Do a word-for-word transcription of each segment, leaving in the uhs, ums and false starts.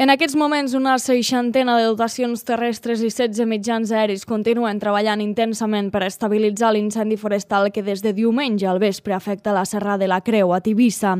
En aquests moments, una seixantena de dotacions terrestres i setze mitjans aeris continuen treballant intensament per estabilitzar l'incendi forestal que des de diumenge al vespre afecta la Serra de la Creu, a Tivissa.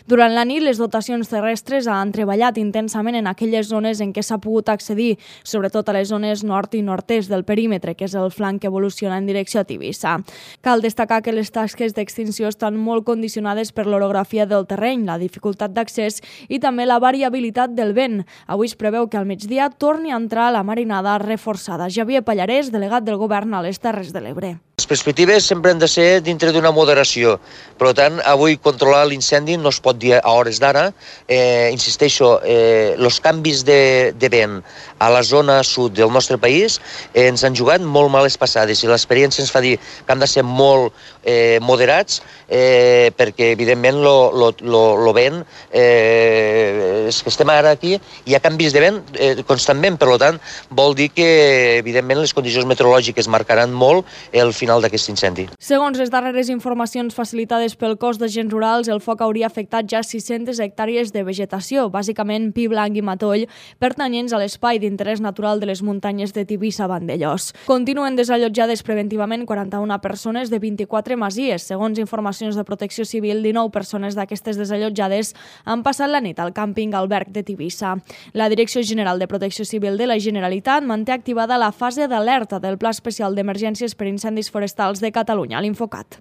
Durant la nit, les dotacions terrestres han treballat intensament en aquelles zones en què s'ha pogut accedir, sobretot a les zones nord i nord-est del perímetre, que és el flanc que evoluciona en direcció a Tivissa. Cal destacar que les tasques d'extinció estan molt condicionades per l'orografia del terreny, la dificultat d'accés i també la variabilitat del vent. Avui es preveu que al migdia torni a entrar la marinada reforçada. Javier Pallarès, delegat del Govern a les Terres de l'Ebre. Les perspectives sempre han de ser dintre d'una moderació. Per tant, avui controlar l'incendi no es pot dir a hores d'ara. Eh, insisteixo, eh, els canvis de, de vent a la zona sud del nostre país eh, ens han jugat molt males passades i l'experiència ens fa dir que han de ser molt eh, moderats eh, perquè, evidentment, el vent, eh, és que estem ara aquí, hi ha canvis de vent eh, constantment, per tant, vol dir que, evidentment, les condicions meteorològiques marcaran molt el final d'aquest incendi. Segons les darreres informacions facilitades pel cos d'agents rurals, el foc hauria afectat ja sis-centes hectàrees de vegetació, bàsicament pi blanc i matoll, pertanyents a l'espai d'interès natural de les muntanyes de Tivissa-Vandellòs. Continuen desallotjades preventivament quaranta-una persones de vint-i-quatre masies. Segons informacions de Protecció Civil, dinou persones d'aquestes desallotjades han passat la nit al càmping Alberg de Tivissa. La Direcció General de Protecció Civil de la Generalitat manté activada la fase d'alerta del Pla Especial d'Emergències per Incendis Forestals de Catalunya, l'Infocat.